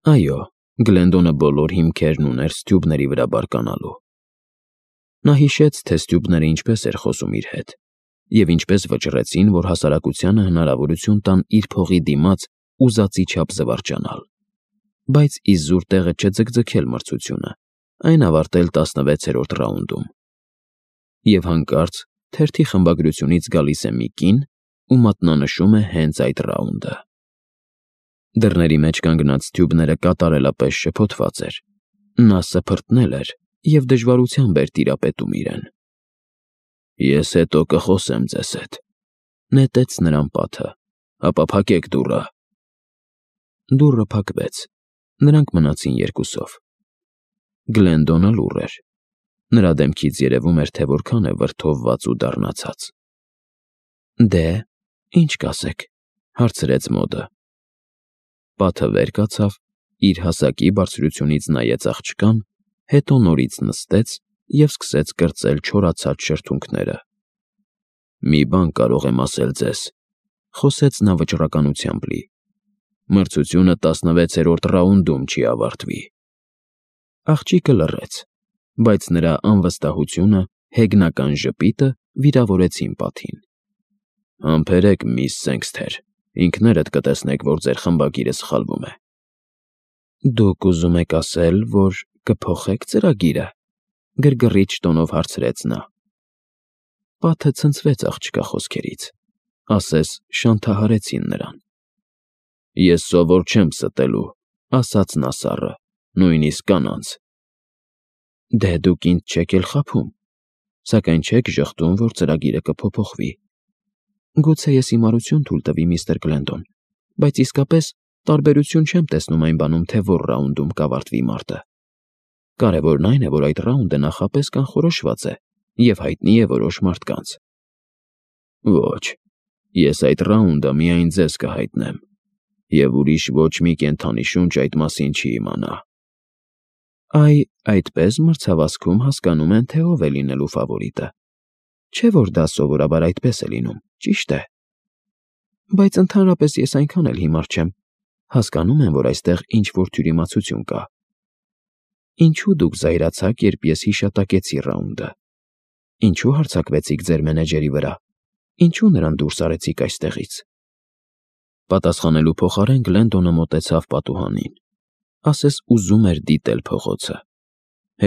Այո, Գլենդոնը բոլոր հիմքերն ուներ Ստյուբների վրա բարկանալու։ Նա հիշեց, թե Ստյուբները ինչպես էր խոսում իր հետ, և ինչպես վճռեցին, որ հասարակությանը հնարավորություն տան իր փողի դիմաց ուզածի չափ զվարճանալ։ Բայց իզուր տեղը չձգձգել մրցությունը, այն ավարտել 16-րդ ռաունդում։ Եվ հանկարծ թերթի խմբագրությունից գալիս է մի կին ու մատնանշում է հենց այդ ռաունդը։ Դռների մեջ կանգնած Ստյուբները կատարելապես շփոթված էր։ Նա սփռտնել էր և դժվարությամբ էր տիրապետում իրեն։ Ես հետո կխոսեմ ձեզ հետ, նետեց նրան Պատը, ապա փակեք դուռը։ Դուռը փակվեց, նրանք մնացին երկուսով։ Գլենդոնը լուռ էր։ Նրա դեմքից երևում էր, թե որքան է վրդովված ու դառնացած։ Դե, ինչ կասեք, հարցրեց Մոդը։ Պատը վեր կացավ, իր հասակի բարձրությունից նայեց աղջկան, հետո նորից նստեց և սկսեց կրծել չորացած շրթունքները։ Մի բան կարող եմ ասել ձեզ, խոսեց նա վճռականությամբ լի. մրցությունը 16-րդ ռաունդում չի ավարտվի։ Աղջիկը լռեց, բայց նրա անվստահությունը, հեգնական ժպիտը վիրավորեցին Պատին։ Համբերեք, միս Սենքսթեր, ինքներդ կտեսնեք, որ ձեր խմբագիրը սխալվում է։ Դուք ուզում եք ասել, որ կփոխեք ծրագիրը, գրգռիչ տոնով հարցրեց նա։ Պատը ցնցվեց աղջկա խոսքերից, ասես շանթահարեցին նրան։ Ես սովոր չեմ ստելու, ասաց նա սառը, նույնիսկ կանանց։ Դե դուք ինձ չեք էլ խաբում, սակայն չեք ժխտում, որ ծրագիրը կփոփոխվի։ Գուցե ես հիմարություն թույլ տվի, միստր Գլենդոն, բայց իսկապես տարբերություն չեմ տեսնում այն բանում, թե որ ռաունդում կավարտվի մարտը։ Կարևորն այն է, որ այդ ռաունդը նախապես կանխորոշված է և հայտնի է որոշ մարդկանց։ Ոչ, ես այդ ռաունդը միայն ձեզ կհայտնեմ, և ուրիշ ոչ մի կենդանի շունչ այդ մասին չի իմանա։ Այդպես մրցավազքում հասկանում են, թե ով է լինելու ֆավորիտը։ Չէ՞ որ դա սովորաբար այդպես է լինում, ճիշտ է։ Բայց ընդհանրապես ես այնքան էլ հիմար չեմ, հասկանում եմ, որ այստեղ ինչ-որ թյուրիմացություն կա։ Ինչու դուք զայրացաք, երբ ես հիշատակեցի ռաունդը։ Ինչու հարձակվեցիք ձեր մենեջերի վրա։ Ինչու նրան դուրս արեցիք այստեղից։ Պատասխանելու փոխարեն Գլենդոնը մոտեցավ պատուհանին, ասես ուզում էր դիտել փողոցը։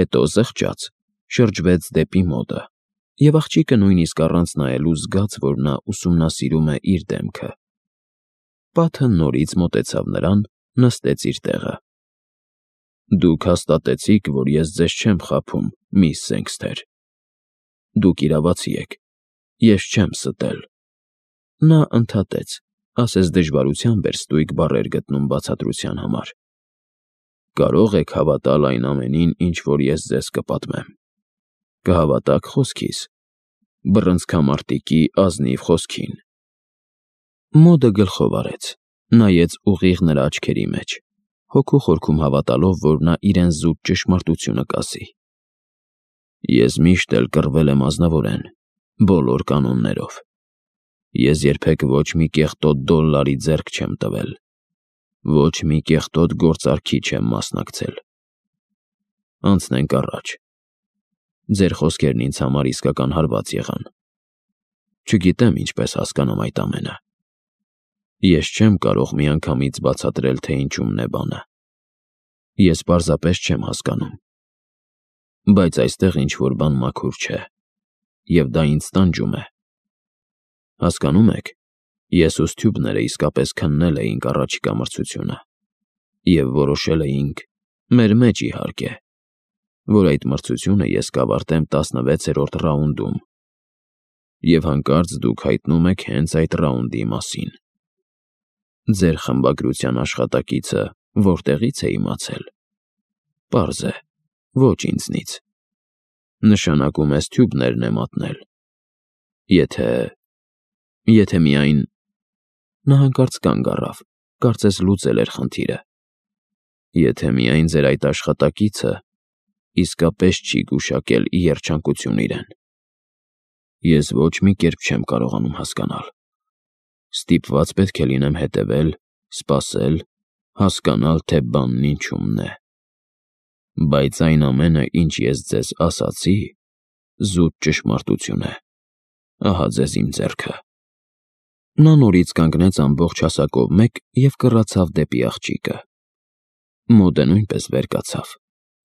Հետո զղջաց, շրջվեց դեպի Մոդը, և աղջիկը նույնիսկ առանց նայելու զգաց, որ նա ուսումնասիրում է իր դեմքը։ Պատը նորից մոտեցավ նրան, նստեց իր տեղը։ Դուք հաստատեցիք, որ ես ձեզ չեմ խաբում, միս Սենքսթեր։ Դուք իրավացի եք, ես չեմ ստել։ Նա ընդհատեց, ասես դժվարությամբ էր ստույգ բառեր գտնում բացատրության համար։ Կարող եք հավատալ այն ամենին, ինչ որ ես ձեզ կպատմեմ։ Կհավատաք խոսքիս, բռնցքամարտիկի ազնիվ խոսքին։ Մոդը գլխով արեց, նայեց ուղիղ նրա աչքերի մեջ, հոգու խորքում հավատալով, որ նա իրեն զուտ ճշմարտությունը կասի։ Ես միշտ էլ կռվել եմ ազնվորեն, բոլոր կանոններով։ Ես երբեք ոչ մի կեղտոտ դոլարի ձեռք չեմ տվել, ոչ մի կեղտոտ գործարքի չեմ մասնակցել։ Անցնենք առաջ։ Ձեր խոսքերն ինձ համար իսկական հարված եղան։ Չգիտեմ ինչպես հասկանամ այդ ամենը։ Ես չեմ կարող միանգամից բացատրել, թե ինչումն է բանը։ Ես պարզապես չեմ հասկանում։ Բայց այստեղ ինչ-որ բան մաքուր չէ, և դա ինձ տանջում է։ Հասկանում եք, ես ու Ստյուբները իսկապես քննել էինք առաջիկա մրցությունը, և որոշել էինք, մեր մեջ իհարկե, որ այդ մրցությունը ես կավարտեմ 16-րդ ռաունդում, և հանկարծ դուք հայտնում եք հենց այդ ռաունդի մասին։ Ձեր խմբագրության աշխատակիցը որտեղից է իմացել։ Պարզ է, ոչ ինձնից։ Նշանակում է Ստյուբներն է մատնել։ Եթե միայն… Նա հանկարծ կանգ առավ, կարծես լուծել էր խնդիրը։ Եթե միայն ձեր այդ աշխատակիցը իսկապես չի գուշակել ի երջանկություն իրեն։ Ես ոչ մի կերպ չեմ կարողանում հասկանալ։ Ստիպված պետք է լինեմ հետևել, սպասել, հասկանալ, թե բանն ինչումն է։ Բայց այն ամենը, ինչ ես ձեզ ասացի, զուտ ճշմարտություն է։ Ահա ձեզ իմ ձեռքը։ Նա նորից կանգնեց ամբողջ հասակով մեկ և կռացավ դեպի աղջիկը։ Մոդը նույնպես վեր կացավ,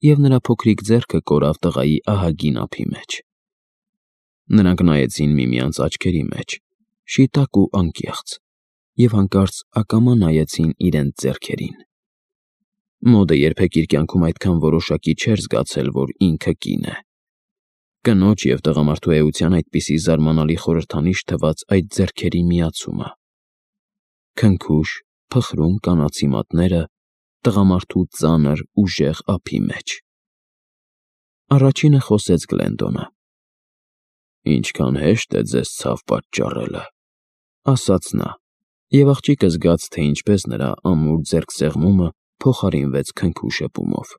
և նրա փոքրիկ ձեռքը կորավ տղայի ահագին ափի մեջ։ Նրանք նայեցին միմյանց աչքերի մեջ, շիտակ ու անկեղծ, և հանկարծ ակամա նայեցին իրենց ձեռքերին։ Մոդը երբեք իր կյանքում այդքան որոշակի չէր զգացել, որ ինքը կին է։ Կնոջ և տղամարդու էության այդպիսի զարմանալի խորհրդանիշ թվաց այդ ձեռքերի միացումը։ Քնքուշ, փխրուն կանացի մատները տղամարդու ծանր, ուժեղ ափի մեջ։ Առաջինը խոսեց Գլենդոնը։ «Ինչքան հեշտ է ձեզ ցավ պատճառելը», ասաց նա, և աղջիկը զգաց, թե ինչպես նրա ամուր ձեռքսեղմումը փոխարինվեց քնքուշ շփումով։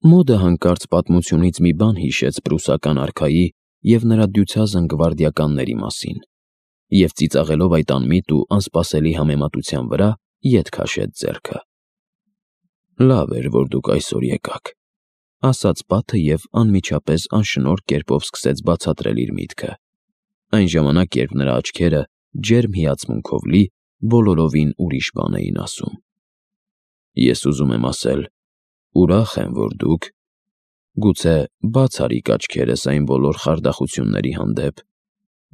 Մոդը հանկարծ պատմությունից մի բան հիշեց պրուսական արքայի և նրա դյուցազն գվարդիականների մասին, և ծիծաղելով այդ անմիտ ու անսպասելի համեմատության վրա, ետ քաշեց ձեռքը։ «Լավ էր, որ դուք այսօր եկաք», ասաց Պատը և անմիջապես անշնորհ կերպով սկսեց բացատրել իր միտքը, այն ժամանակ, երբ նրա աչքերը, ջերմ հիացմունքով լի, բոլորովին ուրիշ բան էին ասում։ «Ես ուզում եմ ասել, ուրախ եմ, որ դուք… Գուցե բաց արիք աչքերս այն բոլոր խարդախությունների հանդեպ,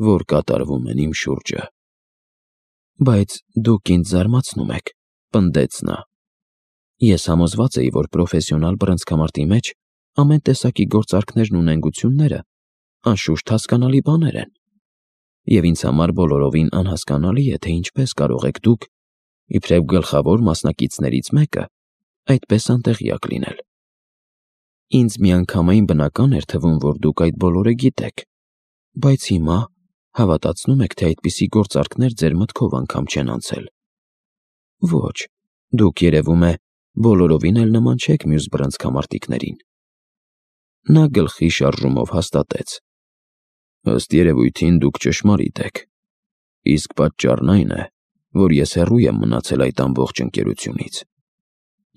որ կատարվում են իմ շուրջը»։ «Բայց դուք ինձ զարմացնում եք», պնդեց նա։ «Ես համոզված էի, որ պրոֆեսիոնալ բռնցքամարտի մեջ ամեն տեսակի գործարքներն ու նենգությունները անշուշտ հասկանալի բաներ են, և ինձ համար բոլորովին անհասկանալի է, թե ինչպես կարող եք դուք, իբրև գլխավոր մասնակիցներից մեկը, այդպես անտեղյակ լինել։ Ինձ միանգամայն բնական էր թվում, որ դուք այդ բոլորը գիտեք, բայց հիմա հավատացնում եք, թե այդպիսի գործարքներ ձեր մտքով անգամ չեն անցել։ Ոչ, դուք, երևում է, բոլորովին էլ նման չեք մյուս բռնցքամարտիկներին»։ Նա գլխի շարժումով հաստատեց. «Ըստ երևույթին դուք ճշմարիտ եք, իսկ պատճառն այն է, որ ես հեռու եմ մնացել այդ ամբողջ ընկերությունից,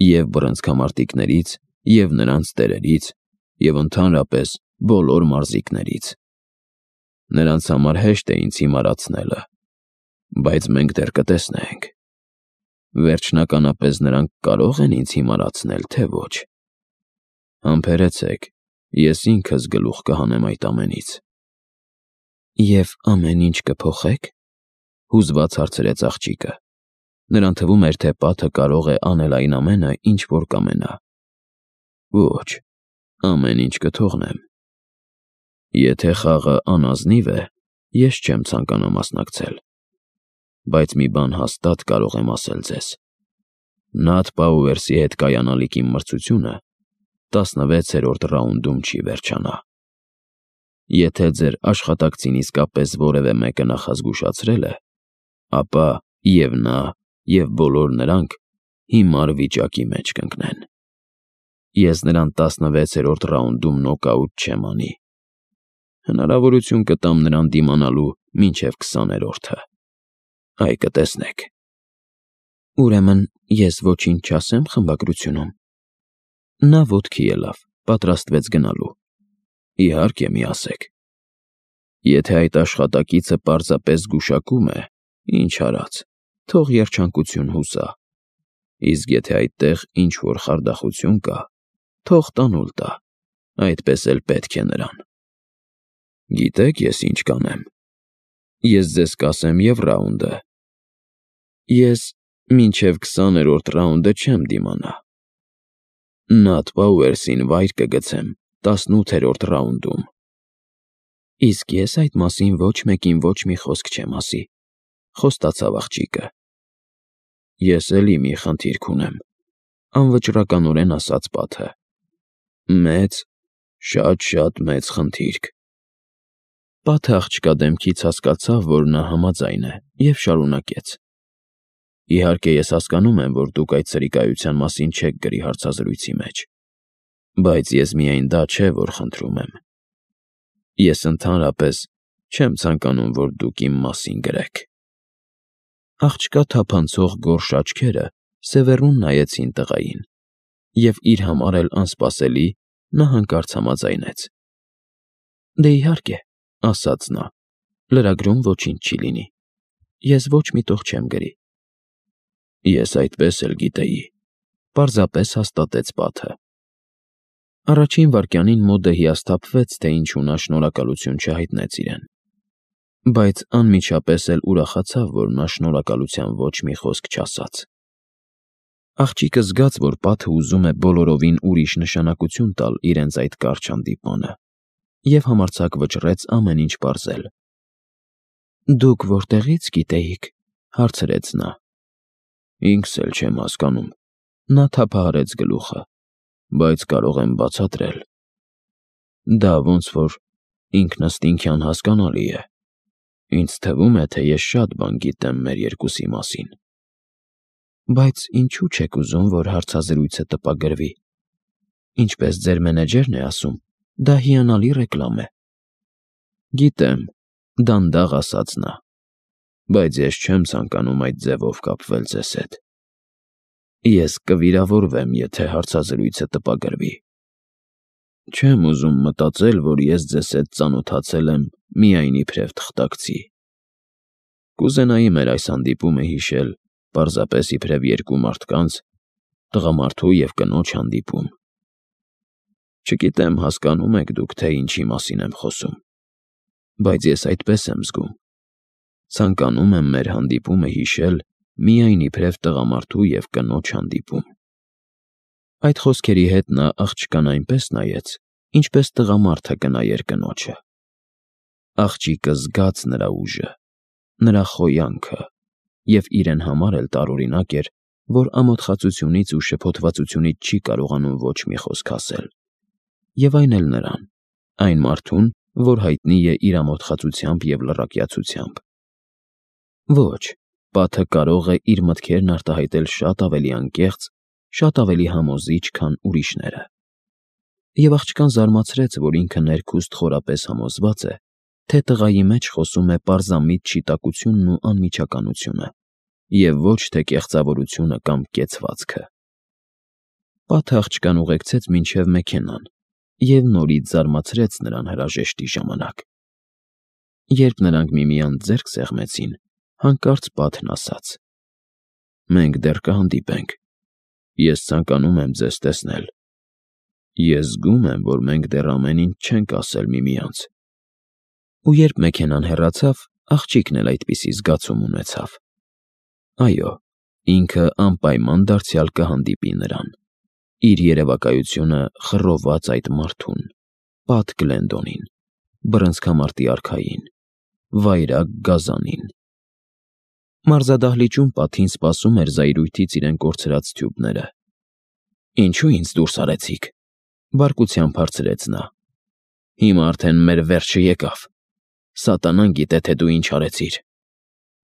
և բռնցքամարտիկներից, և նրանց տերերից, և ընդհանրապես բոլոր մարզիկներից։ Նրանց համար հեշտ է ինձ հիմարացնելը, բայց մենք դեռ կտեսնենք. վերջնականապես նրանք կարո՞ղ են ինձ հիմարացնել, թե ոչ։ Համբերեցեք, ես ինքս գլուխ կհանեմ այդ ամենից»։ «Եվ ամեն ինչ կփոխե՞ք», հուզված հարցրեց աղջիկը։ Նրան թվում էր, թե Պատը կարող է անել այն ամենը, ինչ որ կամենա։ «Ոչ, ամեն ինչ կթողնեմ։ Եթե խաղը անազնիվ է, ես չեմ ցանկանա մասնակցել։ Բայց մի բան հաստատ կարող եմ ասել ձեզ. Նաթ Պաուերսի հետ կայանալիք իմ մրցությունը 16-րդ ռաունդում չի վերջանա։ Եթե ձեր աշխատակցին իսկապես որևէ մեկը նախազգուշացրել է, ապա և նա, և բոլոր նրանք հիմար վիճակի մեջ կընկնեն։ Ես նրան 16-րդ ռաունդում նոկաուտ չեմ անի։ Հնարավորություն կտամ նրան դիմանալու մինչև 20-րդը։ Այ կտեսնեք»։ «Ուրեմն ես ոչինչ չասեմ խմբագրությունում»։ Նա ոտքի ելավ, պատրաստվեց գնալու։ «Իհարկե, մի ասեք։ Եթե այդ աշխատակիցը պարզապես գուշակում է, ինչ արած, թող երջանկություն հուսա, իսկ եթե այդտեղ ինչ-որ խարդախություն կա, թող տանուլ տա, այդպես էլ պետք է նրան։ Գիտեք ես ինչ կանեմ։ Ես ձեզ կասեմ և ռաունդը։ Ես մինչև 20-րդ ռաունդը չեմ դիմանա։ Նաթ Պաուերսին վայր կգցեմ 18-րդ ռաունդում։ Իսկ ես այդ մասին ոչ մեկին ոչ մի խոսք չեմ ասի», խոստացավ աղջիկը։ «Ես էլի մի խնդիրք ունեմ», անվճռականորեն ասաց Պատը։ «Մեծ, շատ մեծ խնդիրք»։ Պատը աղջկա դեմքից հասկացավ, որ նա համաձայն է, և շարունակեց. «Իհարկե, ես հասկանում եմ, որ դուք այդ սրիկայության մասին չեք գրի հարցազրույցի մեջ, բայց ես միայն դա չէ, որ խնդրում եմ։ Ես ընդհանրապես չեմ ցանկանում, որ դուք իմ մասին գրեք»։ Աղջկա թափանցող գորշ աչքերը Սևեռուն նայեցին տղային, և իր համար էլ անսպասելի նա հանկարծ համաձայնեց. «Դե իհարկե», ասաց նա, «լրագրում ոչինչ չի լինի, ես ոչ մի տող չեմ գրի»։ Ես այդպես էլ գիտեի, պարզապես հաստատեց Պատը։ Առաջին վայրկյանին Մոդը հիասթափվեց, թե ինչու նա շնորհակալություն չհայտնեց իրեն, բայց անմիջապես էլ ուրախացավ, որ նա շնորհակալության ոչ մի խոսք չասաց։ Աղջիկը զգաց, որ Պատը ուզում է բոլորովին ուրիշ նշանակություն տալ իրենց այդ կարճ հանդիպմանը, և համարձակ վճռեց ամեն ինչ պարզել։ «Դուք որտեղի՞ց գիտեիք», հարցրեց նա։ «Ինքս էլ չեմ հասկանում», նա թափահարեց գլուխը, «բայց կարող եմ բացատրել»։ Դա ոնց որ ինքնըստինքյան հասկանալի է։ Ինձ թվում է, թե ես շատ բան գիտեմ մեր երկուսի մասին։ Բայց ինչու չեք ուզում, որ հարցազրույցը տպագրվի։ Ինչպես ձեր մենեջերն է ասում, դա հիանալի ռեկլամ է։ Գիտեմ, դանդաղ ասաց նա, բայց ես չեմ ցանկանում այդ ձևով կապվել ձեզ հետ։ Ես կվիրավորվեմ, եթե հարցազրույցը տպագրվի։ Չեմ ուզում մտածել, որ ես ձեզ հետ ծանոթացել եմ միայն իբրև թղթակցի։ Կուզենայի մեր այս հանդիպումը հիշել պարզապես իբրև երկու մարդկանց, տղամարդու և կնոջ հանդիպում։ Չգիտեմ, հասկանում եք դուք, թե ինչի մասին եմ խոսում, բայց ես այդպես եմ զգում։ Ցանկանում եմ մեր հանդիպումը հիշել միայն իբրև տղամարդու և կնոջ հանդիպում։ Այդ խոսքերի հետ նա աղջկան այնպես նայեց, ինչպես տղամարդը կնայեր կնոջը։ Աղջիկը զգաց նրա ուժը, նրա խոյանքը, և իրեն համար էլ տարօրինակ էր, որ ամոթխածությունից ու շփոթվածությունից չի կարողանում ոչ մի խոսք ասել։ Եվ այն էլ նրան, այն մարդուն, որ հայտնի է իր ամոթխածությամբ և լռակյացությամբ։ Ոչ, Պատը կարող է իր մտքերն արտահայտել շատ ավելի անկեղծ, շատ ավելի համոզիչ, քան ուրիշները։ Եվ աղջկան զարմացրեց, որ ինքը ներքուստ խորապես համոզված է, թե տղայի մեջ խոսում է պարզամիտ շիտակությունն ու անմիջականությունը, և ոչ թե կեղծավորությունը կամ կեցվածքը։ Պատը աղջկան ուղեկցեց մինչև մեքենան և նորից զարմացրեց նրան հրաժեշտի ժամանակ։ Երբ նրանք միմյանց ձեռք սեղմեցին, հանկարծ Պատն ասաց. «Մենք դեռ կհանդիպենք։ Ես ցանկանում եմ ձեզ տեսնել։ Ես զգում եմ, որ մենք դեռ ամեն ինչ չենք ասել միմյանց»։ Ու երբ մեքենան հեռացավ, աղջիկն էլ այդպիսի զգացում ունեցավ։ Այո, ինքը անպայման դարձյալ կհանդիպի նրան, իր երևակայությունը խռոված այդ մարդուն, Պատ Գլենդոնին, բռնցքամարտի արքային, վայրագ գազանին։ Մարզադահլիճում Պատին սպասում էր զայրույթից իրեն կորցրած Սթյուբները։ «Ինչու ինձ դուրս արեցիք», բարկությամբ հարցրեց նա։ «Հիմա արդեն մեր վերջը եկավ։ Սատանան գիտե, թե դու ինչ արեցիր։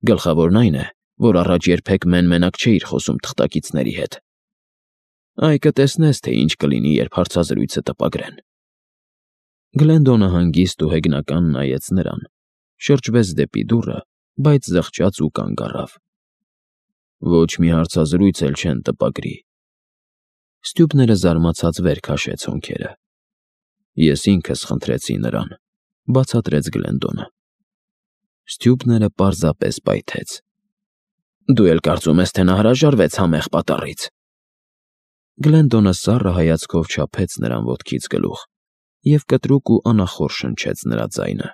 Գլխավորն այն է, որ առաջ երբեք մեն-մենակ չէիր խոսում թղթակիցների հետ։ Այ կտեսնես, թե ինչ կլինի, երբ հարցազրույցը տպագրեն»։ Գլենդոնը հանգիստ ու հեգնական նայեց նրան, շրջվեց դեպի դուռը, բայց զղջաց ու կանգ առավ։ «Ոչ մի հարցազրույց էլ չեն տպագրի»։ Սթյուբները զարմացած վեր քաշեց հոնքերը։ «Ես ինքս խնդրեցի նրան», բացատրեց Գլենդոնը։ Սթյուբները պարզապես պայթեց։ «Դու էլ կարծում ես, թե նա հրաժարվեց համեղ պատառից»։ Գլենդոնը սառը հայացքով չափեց նրան ոտքից գլուխ և կտրուկ ու անախորժ շնչեց նրա ձայնը։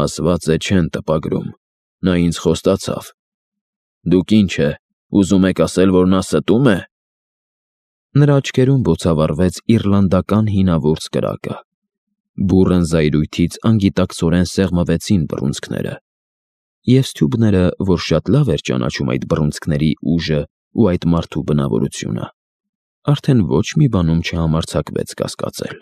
«Ասված է չեն տպագրում, նա ինձ խոստացավ։ Դուք ինչ է, ուզում եք ասել, որ նա ստո՞ւմ է»։ Նրա աչքերում բոցավառվեց իռլանդական հինավուրց կրակը։ Բուռն զայրույթից անգիտակցորեն սեղմվեցին բռունցքները, և Սթյուբները, որ շատ լավ էր ճանաչում այդ բռունցքների ուժը ու այդ մարդու բնավորությունը, արդեն ոչ մի բանում չհամարձակվեց կասկածել։